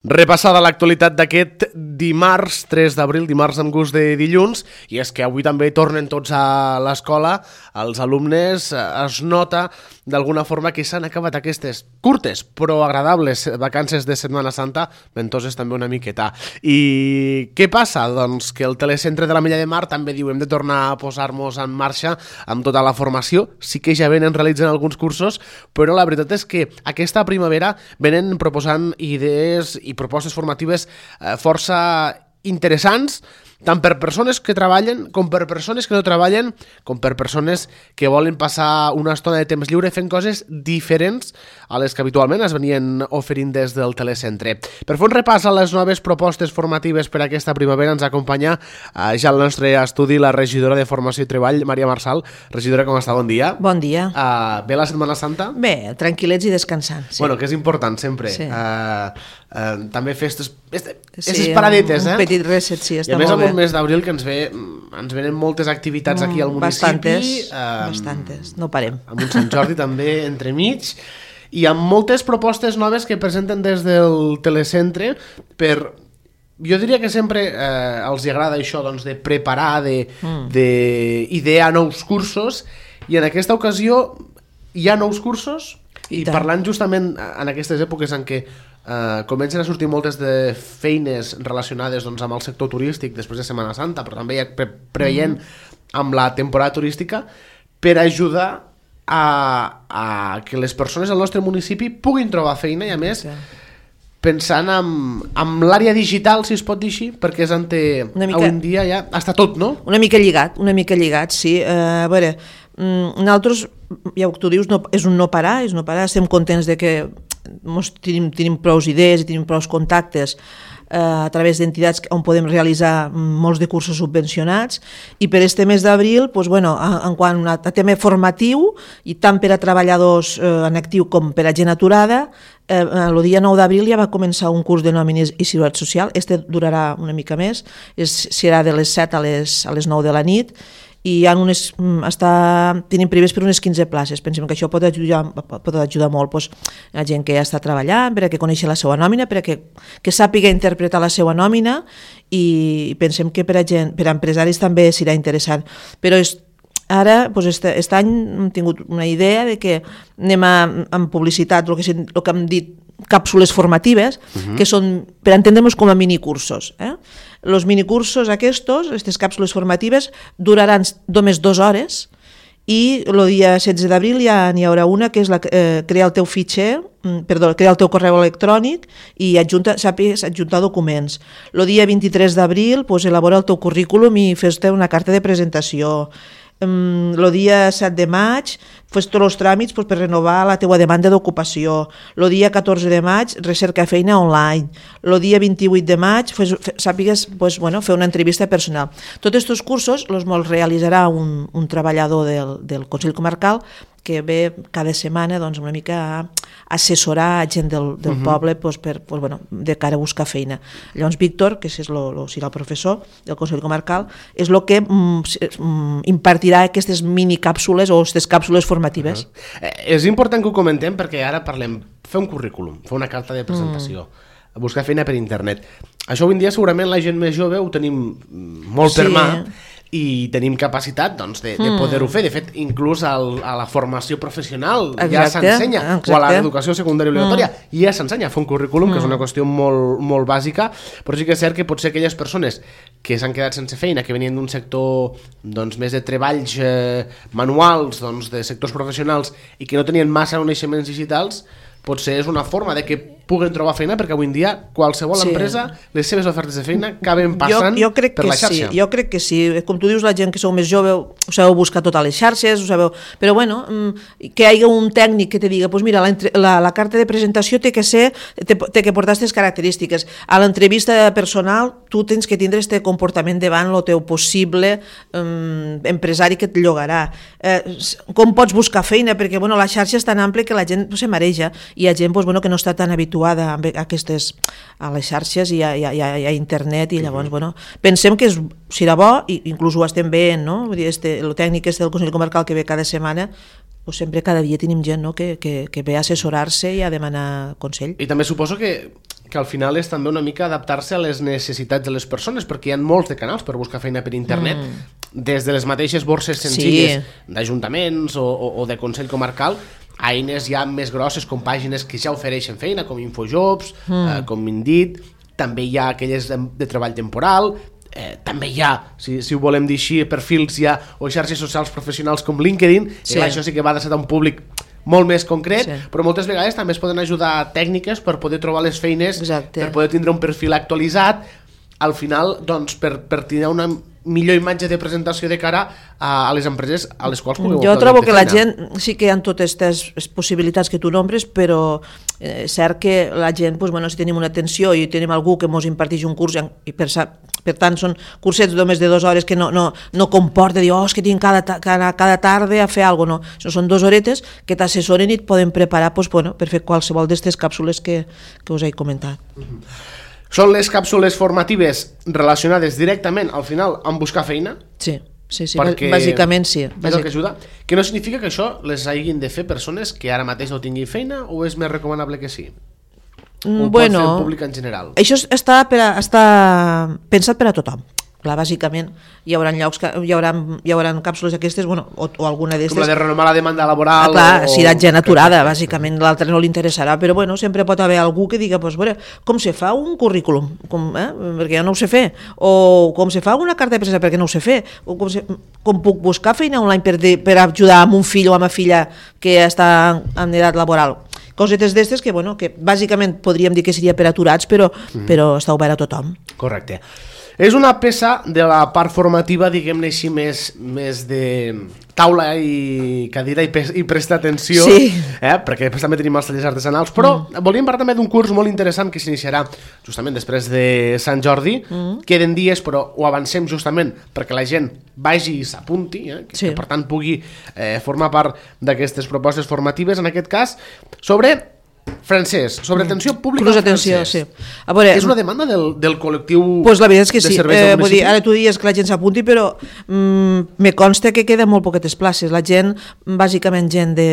Repassada l'actualitat d'aquest dimarts 3 d'abril, dimarts amb gust de dilluns, i és que avui també tornen tots a l'escola, els alumnes, es nota d'alguna forma que s'han acabat aquestes curtes però agradables vacances de Setmana Santa, ventoses també una miqueta. I què passa? Doncs que el telecentre de l'Ametlla de Mar també diu hem de tornar a posar-nos en marxa amb tota la formació, sí que ja venen realitzant alguns cursos, però la veritat és que aquesta primavera venen proposant idees i propostes formatives força interessants, tant per persones que treballen, com per persones que no treballen, com per persones que volen passar una estona de temps lliure fent coses diferents a les que habitualment es venien oferint des del telecentre. Per fer un repàs a les noves propostes formatives per aquesta primavera ens acompanya ja al nostre estudi la regidora de Formació i Treball, Maria Marçal. Regidora, com està? Bon dia. Bon dia. Bé la Setmana Santa? Bé, tranquil·lets i descansant. Sí. Bueno, que és important sempre. Sí. També fer aquestes paradetes, un petit reset, sí, està molt bé. I a més amb un mes d'abril que ens venen moltes activitats aquí al municipi. Bastantes, no parem. Amb un Sant Jordi també entremig, i amb moltes propostes noves que presenten des del telecentre per... Jo diria que sempre els agrada això doncs, de preparar, d'idear nous cursos, i en aquesta ocasió hi ha nous cursos, i parlant justament en aquestes èpoques en què comencen a sortir moltes de feines relacionades doncs, amb el sector turístic després de Setmana Santa, però també ja preveient amb la temporada turística, per ajudar a que les persones del nostre municipi puguin trobar feina, i a més pensant en l'àrea digital, si es pot dir així, perquè és avui en dia ja està tot, no? Una mica lligat, sí. A veure, nosaltres, ja tu dius, és un no parar, estem contents de que tenim prou idees i tenim prou contactes a través d'entitats on podem realitzar molts de cursos subvencionats, i per este mes d'abril, en quant a tema formatiu, i tant per a treballadors en actiu com per a gent aturada, el dia 9 d'abril ja va començar un curs de nòmines i seguretat social. Este durarà una mica més, serà de les 7 a les 9 de la nit, i tenim previst per unes 15 places. Pensem que això pot ajudar molt a gent que ja està treballant, per a que coneixi la seva nòmina, per a que sàpiga interpretar la seva nòmina, i pensem que per a empresaris també serà interessant. Però ara, aquest any hem tingut una idea de que anem amb publicitat, el que hem dit, càpsules formatives, que són, per entendre'ns, com a minicursos. Els minicursos aquestes càpsules formatives, duraran només 2 hores, i el dia 16 d'abril ja n'hi haurà una, que és crear el teu crear el teu correu electrònic i sàpigues adjuntar documents. El dia 23 d'abril elabora el teu currículum i fes-te una carta de presentació. El dia 7 de maig fes tots els tràmits per renovar la teua demanda d'ocupació. El dia 14 de maig recerca feina online. El dia 28 de maig sàpigues fer una entrevista personal. Tots aquests cursos els realitzarà un treballador del Consell Comarcal que ve cada setmana una mica a assessorar gent del poble de cara a buscar feina. Llavors Víctor, que serà el professor del Consell Comarcal, és el que impartirà aquestes minicàpsules o aquestes càpsules formatives. És important que ho comentem perquè ara parlem fer un currículum, fer una carta de presentació, buscar feina per internet. Això avui en dia segurament la gent més jove ho tenim molt per mà, i tenim capacitat de poder-ho fer. De fet, inclús a la formació professional ja s'ensenya, o a l'educació secundària obligatòria ja s'ensenya a fer un currículum, que és una qüestió molt bàsica, però sí que és cert que potser aquelles persones que s'han quedat sense feina, que venien d'un sector més de treballs manuals, de sectors professionals, i que no tenien massa coneixements digitals, potser és una forma de que puguen trobar feina, perquè avui en dia qualsevol empresa, les seves ofertes de feina acaben passant per la xarxa. Jo crec que sí. Com tu dius, la gent que sou més jove ho sabeu buscar tot a les xarxes, però que hi hagi un tècnic que te diga mira, la carta de presentació té que portar aquestes característiques. A l'entrevista personal tu tens que tindre aquest comportament davant el teu possible empresari que et llogarà. Com pots buscar feina? Perquè la xarxa és tan àmplia que la gent se mareja, i hi ha gent que no està tan habituada a les xarxes i a internet, i llavors pensem que serà bo, i inclús ho estem veient, el tècnic del Consell Comarcal que ve cada setmana, sempre cada dia tenim gent que ve a assessorar-se i a demanar consell. I també suposo que que al final és també una mica adaptar-se a les necessitats de les persones, perquè hi ha molts de canals per buscar feina per internet, des de les mateixes borses senzilles d'ajuntaments o de Consell Comarcal, a eines ja més grosses com pàgines que ja ofereixen feina, com Infojobs, com Indeed, també hi ha aquelles de treball temporal, també hi ha, si ho volem dir així, perfils ja o xarxes socials professionals com LinkedIn, això sí que va adreçat a un públic molt més concret, però moltes vegades també es poden ajudar tècniques per poder trobar les feines, per poder tindre un perfil actualitzat, al final, doncs, per tenir una millor imatge de presentació de cara a les empreses a les quals pugueu optar. Jo trobo que la gent, sí que hi ha totes aquestes possibilitats que tu nombres, però és cert que la gent, si tenim una atenció i tenim algú que ens imparteix un curs, i per tant són cursets només de 2 hores que no comporta dir, és que tinc cada tarda a fer alguna cosa, no. Són 2 horetes que t'assessoren i et poden preparar per fer qualsevol d'aquestes càpsules que us he comentat. Són les càpsules formatives relacionades directament, al final, amb buscar feina? Sí, bàsicament sí. És el que ajuda? Que no significa que això les hagin de fer persones que ara mateix no tinguin feina o és més recomanable que sí? O pot fer el públic en general? Això està pensat per a tothom. Clar, bàsicament hi haurà llocs hi haurà càpsules aquestes o alguna d'estes com la de renomar la demanda laboral si la gent aturada, bàsicament l'altre no li interessarà, però sempre pot haver algú que diga, com se fa un currículum perquè jo no ho sé fer, o com se fa una carta de presa perquè no ho sé fer, o com puc buscar feina online per ajudar amb un fill o amb una filla que està en edat laboral, cosetes d'estes que bàsicament podríem dir que seria per aturats, però està obert a tothom. Correcte. És una peça de la part formativa, diguem-ne així, més de taula i cadira i prestar atenció, perquè després també tenim els tallers artesanals, però volíem parlar també d'un curs molt interessant que s'iniciarà justament després de Sant Jordi, queden dies però ho avancem justament perquè la gent vagi i s'apunti, que per tant pugui formar part d'aquestes propostes formatives, en aquest cas, sobre francès, sobre atenció pública en francès. És una demanda del col·lectiu la veritat és que de serveis del municipi? Ara tu dius que la gent s'apunti, però me consta que queden molt poquetes places. La gent, bàsicament gent de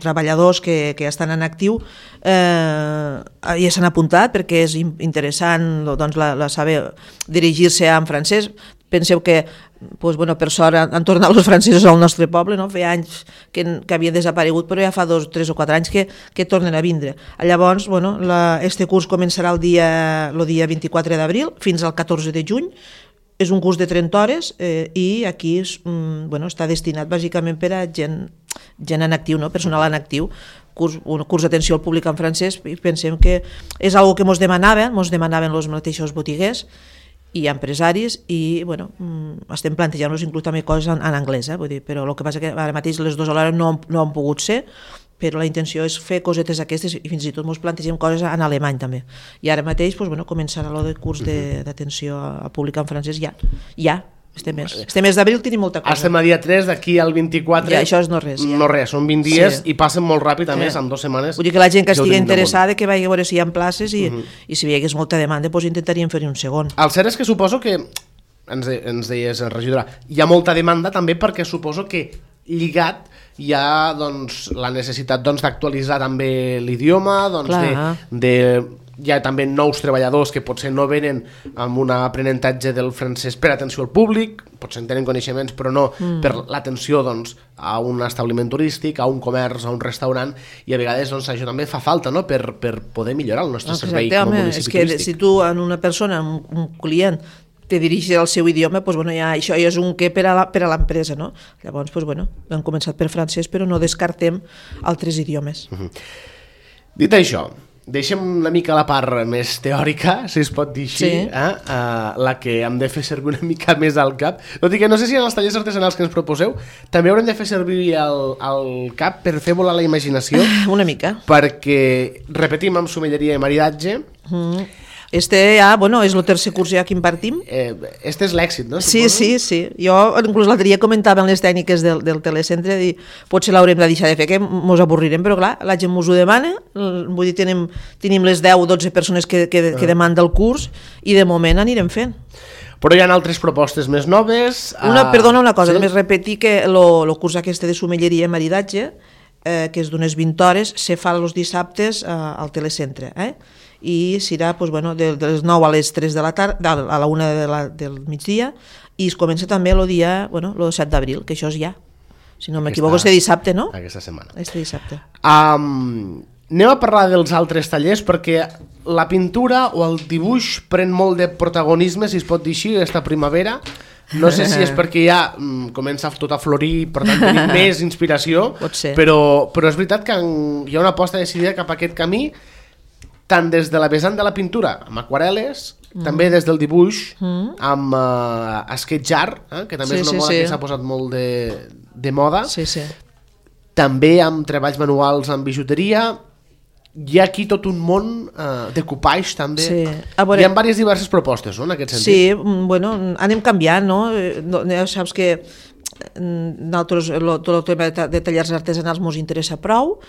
treballadors que estan en actiu, ja s'han apuntat perquè és interessant saber dirigir-se en francès. Penseu que per sort han tornat els francesos al nostre poble, feia anys que havien desaparegut, però ja fa 2, 3 o 4 anys que tornen a vindre. Llavors, este curs començarà el dia 24 d'abril fins al 14 de juny, és un curs de 30 hores i aquí està destinat bàsicament per a gent en actiu, personal en actiu, un curs d'atenció al públic en francès, i pensem que és una cosa que ens demanaven els mateixos botiguers i empresaris, i estem plantejant-nos inclús també coses en anglès, però el que passa que ara mateix les 2 alhora no han pogut ser, però la intenció és fer cosetes aquestes i fins i tot ens plantegem coses en alemany també. I ara mateix començarà el curs d'atenció al públic en francès ja. Este mes d'abril tenim molta cosa. Estem a dia 3, d'aquí al 24... Ja, això és no res. No res, són 20 dies i passen molt ràpid, a més, en 2 setmanes. Vull dir que la gent que estigui interessada, que vagi a veure si hi ha places i si hi hagués molta demanda, intentaríem fer-hi un segon. El cert és que suposo que, ens deies, regidora, hi ha molta demanda també perquè suposo que lligat hi ha la necessitat d'actualitzar també l'idioma, hi ha també nous treballadors que potser no venen amb un aprenentatge del francès per atenció al públic, potser en tenen coneixements però no per l'atenció a un establiment turístic, a un comerç, a un restaurant, i a vegades això també fa falta per poder millorar el nostre servei com a municipi turístic. És que si tu en una persona, un client, te dirigis al seu idioma, això és un què per a l'empresa, no? Llavors, hem començat per francès, però no descartem altres idiomes. Dit això, deixem una mica la part més teòrica, si es pot dir així, la que hem de fer servir una mica més al cap. Tot i que no sé si en els tallers artesanals que ens proposeu també haurem de fer servir el cap per fer volar la imaginació. Una mica. Perquè, repetim, amb somelleria i maridatge... Este ja, és el tercer curs ja que impartim. Este és l'èxit, no? Sí. Jo inclús l'altre dia comentava en les tècniques del telecentre i potser l'haurem de deixar de fer, que ens avorrirem, però clar, la gent ens ho demana, vull dir, tenim les 10 o 12 persones que demanda el curs i de moment anirem fent. Però hi ha altres propostes més noves... Perdona una cosa, només repetir que el curs aquest de somelleria i maridatge que és d'unes 20 hores, se fa els dissabtes al telecentre, i serà de les 9 a les 3 de la tarda, a la 1 del migdia, i es comença també el dia, el 7 d'abril, que això és ja. Si no m'equivoco, este dissabte, no? Aquesta setmana. Este dissabte. Anem a parlar dels altres tallers, perquè la pintura o el dibuix pren molt de protagonisme, si es pot dir així, aquesta primavera. No sé si és perquè ja comença tot a florir, per tant tenim més inspiració, però és veritat que hi ha una aposta decidida cap a aquest camí, tant des de la vessant de la pintura, amb aquarel·les, també des del dibuix, amb sketch art, que també és una moda que s'ha posat molt de moda, també amb treballs manuals amb bijuteria. Hi ha aquí tot un món de coupage també. Hi ha diverses diverses propostes, no, en aquest sentit. Sí, anem canviant, no? Saps que nosaltres tot el tema de tallers artesanals ens interessa prou.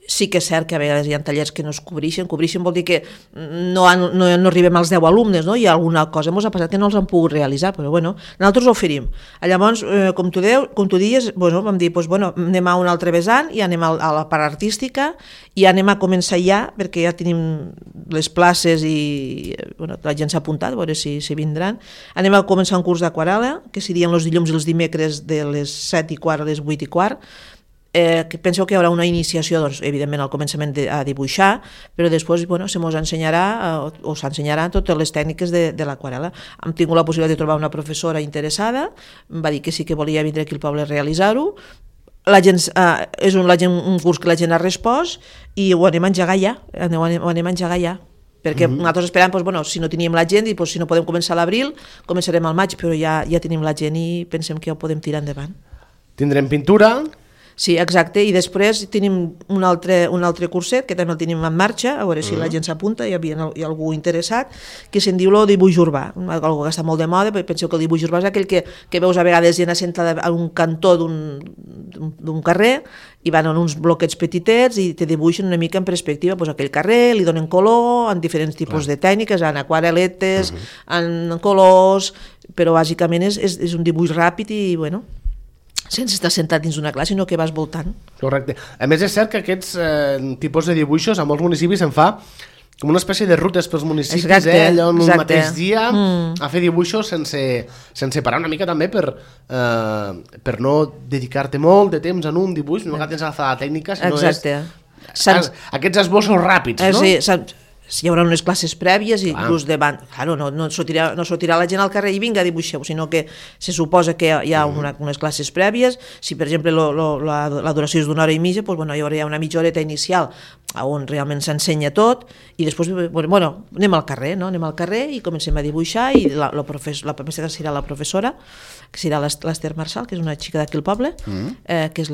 Sí que és cert que a vegades hi ha tallers que no es cobreixen vol dir que no arribem als 10 alumnes, no? Hi ha alguna cosa, ens ha passat que no els han pogut realitzar, però nosaltres ho oferim. Llavors, com tu dius, vam dir, anem a un altre vessant i anem a la part artística i anem a començar ja, perquè ja tenim les places i la gent s'ha apuntat, a veure si vindran. Anem a començar un curs d'aquarel·la, que serien els dilluns i els dimecres de les 7:15 a les 8:15, que penseu que hi haurà una iniciació, evidentment al començament a dibuixar, però després se mos ensenyarà o s'ensenyaran totes les tècniques de l'aquarel·la. Hem tingut la possibilitat de trobar una professora interessada, em va dir que sí que volia vindre aquí al poble a realitzar-ho. És un curs que la gent ha respost i ho anem a engegar ja. Perquè nosaltres esperàvem, si no teníem la gent, i si no podem començar a l'abril, començarem al maig, però ja tenim la gent i pensem que ja ho podem tirar endavant. Tindrem pintura. Sí, exacte, i després tenim un altre curset que també el tenim en marxa, a veure si la gent s'apunta, hi ha algú interessat, que se'n diu el dibuix urbà, algo que està molt de moda, perquè penseu que el dibuix urbà és aquell que veus a vegades gent assentada a un cantó d'un carrer i van en uns bloquets petitets i te dibuixen una mica en perspectiva aquell carrer, li donen color en diferents tipus de tècniques, en aquarel·letes, en colors, però bàsicament és un dibuix ràpid i sense estar sentat dins d'una classe, sinó que vas voltant. Correcte. A més, és cert que aquests tipus de dibuixos a molts municipis se'n fa com una espècie de rutes pels municipis, allò en un mateix dia, a fer dibuixos sense parar una mica també per no dedicar-te molt de temps en un dibuix, no tens agafar la tècnica, sinó aquests esbossos ràpids, no? Sí, hi haurà unes classes prèvies i inclús davant, no sortirà la gent al carrer i vinga, dibuixeu, sinó que se suposa que hi ha unes classes prèvies. Si per exemple la duració és d'una hora i mitja, hi haurà una mitja horeta inicial on realment s'ensenya tot i després anem al carrer i comencem a dibuixar i la professora serà la professora, que serà l'Ester Marçal, que és una xica d'aquí al poble, que és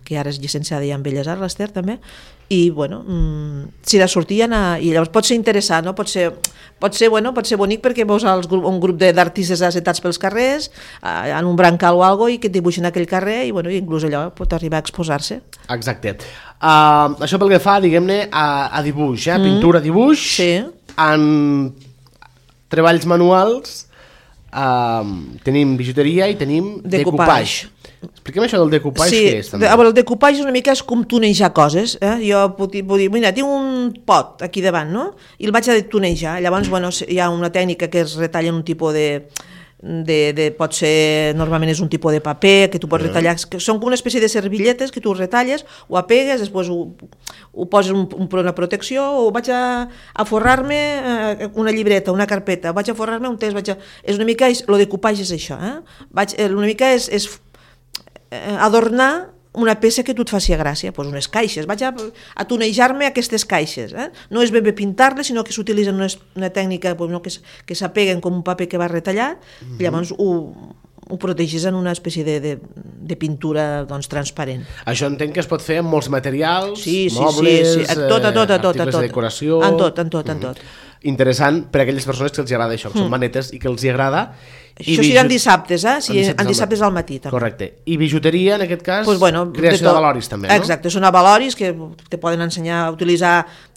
que ara és llicenciada ja en Belles Arts, l'Ester també, i serà sortir i llavors pot ser interessant, no? pot ser bonic perquè veus un grup d'artistes assetats pels carrers en un brancal o alguna cosa i que et dibuixen aquell carrer i inclús allò pot arribar a exposar-se. Exacte. Això pel que fa, diguem-ne, a dibuix, pintura, dibuix, en treballs manuals tenim bijuteria i tenim decoupage. Expliquem això del decoupage, què és també? El decoupage una mica és com tunejar coses. Jo puc dir, mira, tinc un pot aquí davant, no? I el vaig a tunejar. Llavors, hi ha una tècnica que es retalla en un tipus pot ser, normalment és un tipus de paper que tu pots retallar, que són com una espècie de servilletes que tu retalles, ho apegues, després ho poses una protecció, o vaig a forrar-me una llibreta, una carpeta, vaig a forrar-me un text, és una mica, el decoupage és això, una mica és adornar una peça que tu et faci gràcia, unes caixes, vaig a tunejar-me aquestes caixes, no és ben bé pintar-les, sinó que s'utilitzen una tècnica que s'apeguen com un paper que va retallat, i llavors ho protegis en una espècie de pintura transparent. Això entenc que es pot fer amb molts materials, mobles, articles de decoració... En tot. Interessant per a aquelles persones que els agrada això, que són manetes i que els agrada. Això seran dissabtes, en dissabtes al matí. Correcte. I bijuteria, en aquest cas, creació d'avaloris també, no? Exacte, són avaloris que te poden ensenyar a utilitzar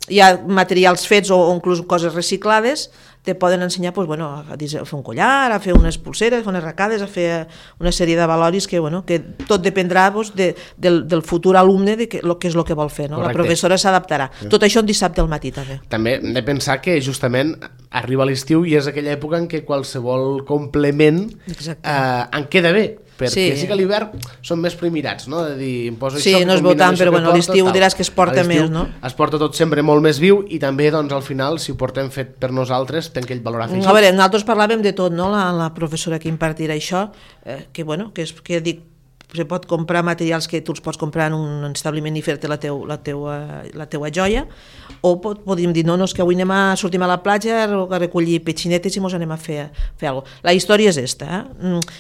ja materials fets o inclús coses reciclades, te poden ensenyar pues, bueno, a fer un collar, a fer unes pulseres, a fer unes arracades, a fer una sèrie de valoris que, bueno, que tot dependrà pues, del futur alumne de què és el que vol fer. No? La professora s'adaptarà. Tot això un dissabte al matí també. També hem de pensar que justament arriba l'estiu i és aquella època en què qualsevol complement en queda bé. Perquè sí que a l'hivern són més primirats, no? De dir, em poso sí, això, no es veu tant, però bueno, a l'estiu diràs que es porta més, no? Es porta tot sempre molt més viu i també, doncs, al final, si ho portem fet per nosaltres, té aquell valor afegit. A veure, nosaltres parlàvem de tot, no? La professora que impartirà això, que, bueno, que dic, se pot comprar materials que tu els pots comprar en un establiment i fer-te la teua joia, o podríem dir, no, és que avui sortim a la platja a recollir petxinetes i mos anem a fer alguna cosa. La història és esta.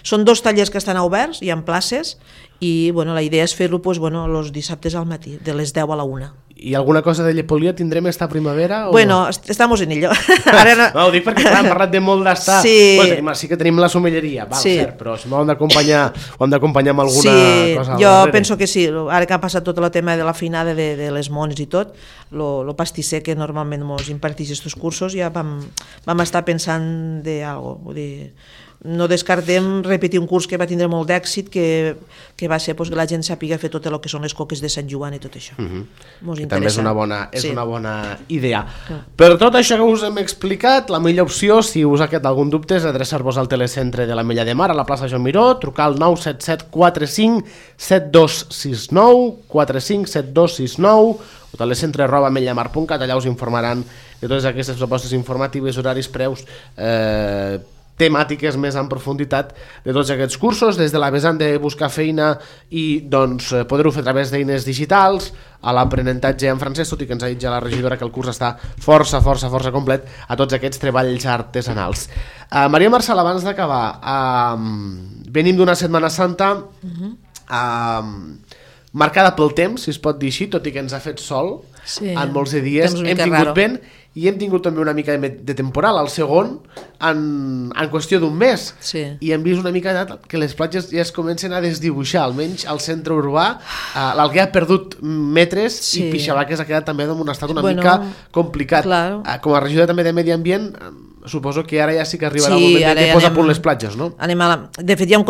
Són 2 tallers que estan oberts, hi ha places, i bueno, la idea és fer-lo pues, bueno, els dissabtes al matí, de les 10 a la 1. I alguna cosa de llepolia tindrem esta primavera? O bueno, no? Estamos en ello. Ara no, ho dic perquè clar, hem parlat de molt d'estar. Sí. Bueno, sí que tenim la somelleria, val, cert, però si ho hem d'acompanyar amb alguna cosa. Jo penso que sí, ara que ha passat tot el tema de la feinada de les mones i tot, el pastisser que normalment ens imparteix aquests cursos, ja vam estar pensant d'algo, vull dir, no descartem repetir un curs que va tindre molt d'èxit, que va ser pues, que la gent sàpiga fer tot el que són les coques de Sant Joan i tot això. També és una bona idea. Per tot això que us hem explicat, la millor opció, si us ha quedat algun dubte, és adreçar-vos al telecentre de l'Ametlla de Mar, a la plaça Joan Miró, trucar al 977 45 7269, 45 7269, o telecentre@ametllamar.cat, allà us informaran de totes aquestes propostes informatives, horaris, preus, temàtiques més en profunditat de tots aquests cursos, des de la vessant de buscar feina i doncs, poder-ho fer a través d'eines digitals, a l'aprenentatge en francès, tot i que ens ha dit ja la regidora que el curs està força complet, a tots aquests treballs artesanals. Maria Marçal, abans d'acabar, venim d'una Setmana Santa marcada pel temps, si es pot dir així, tot i que ens ha fet sol en molts de dies, hem tingut vent i hem tingut també una mica de temporal al segon en qüestió d'un mes, i hem vist una mica que les platges ja es comencen a desdibuixar, almenys al centre urbà l'Alguer ha perdut metres i Pixavaques ha quedat també en un estat una mica complicat. Com a regidora també de Medi Ambient, suposo que ara ja sí que arribarà el moment de posar a punt les platges, no? De fet ja vam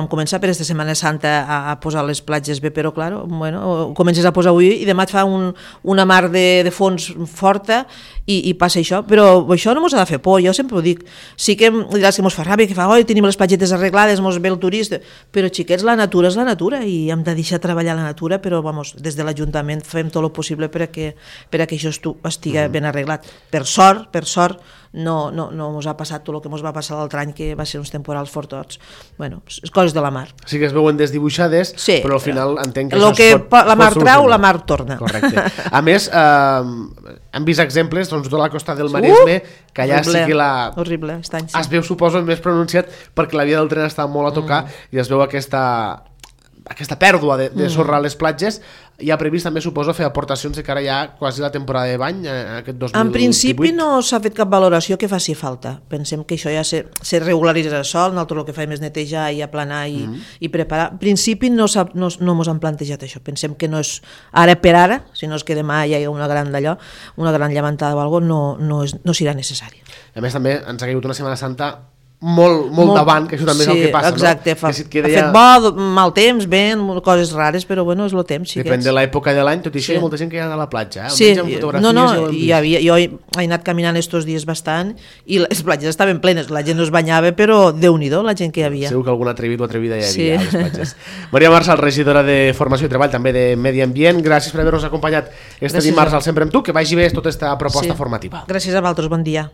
començar per aquesta Setmana Santa a posar les platges bé, però clar, ho comences a posar avui i demà et fa una mar de fons forta i passa això, però això no mos ha de fer por, jo sempre ho dic. Sí que diràs que mos fa ràbia, que fa, oi, tenim les platgetes arreglades, mos ve el turista, però xiquets, la natura és la natura i hem de deixar treballar la natura, però des de l'Ajuntament fem tot el possible perquè això estigui ben arreglat. Per sort, no mos ha passat tot el que mos va passar l'altre any, que va ser uns temporals fortots. Bueno, coses de la mar. Sí que es veuen desdibuixades, però al final entenc que això es pot solucionar. La mar trau, la mar torna. Correcte. A més, hem vist exemples, doncs, tota la costa del Maresme, que allà sí que horrible, es veu, suposo, més pronunciat perquè la via del tren està molt a tocar i es veu aquesta pèrdua de sorra a les platges. Hi ha previst també, suposo, fer aportacions de cara ja quasi la temporada de bany, aquest 2018. En principi no s'ha fet cap valoració que faci falta. Pensem que això ja se regularitzarà sol, nosaltres el que fem és netejar i aplanar i preparar. En principi no mos han plantejat això. Pensem que no és ara per ara, si no és que demà hi ha una gran llevantada o alguna cosa, no serà necessari. A més també ens ha caigut una Setmana Santa molt davant, que això també és el que passa, exacte, no? Ha fet bo, mal temps, vent, coses rares, però bueno, és el temps. Depèn de l'època de l'any, tot i això hi ha molta gent que hi ha a la platja. Sí, jo he anat caminant estos dies bastant i les platges estaven plenes, la gent no es banyava, però Déu-n'hi-do la gent que hi havia. Segur que algun atrevit o atrevida hi havia a les platges. Maria Marçal, regidora de Formació i Treball, també de Medi Ambient, gràcies per haver-nos acompanyat este dimarts al Sempre amb tu, que vagi bé tota aquesta proposta formativa. Gràcies a vosaltres, bon dia.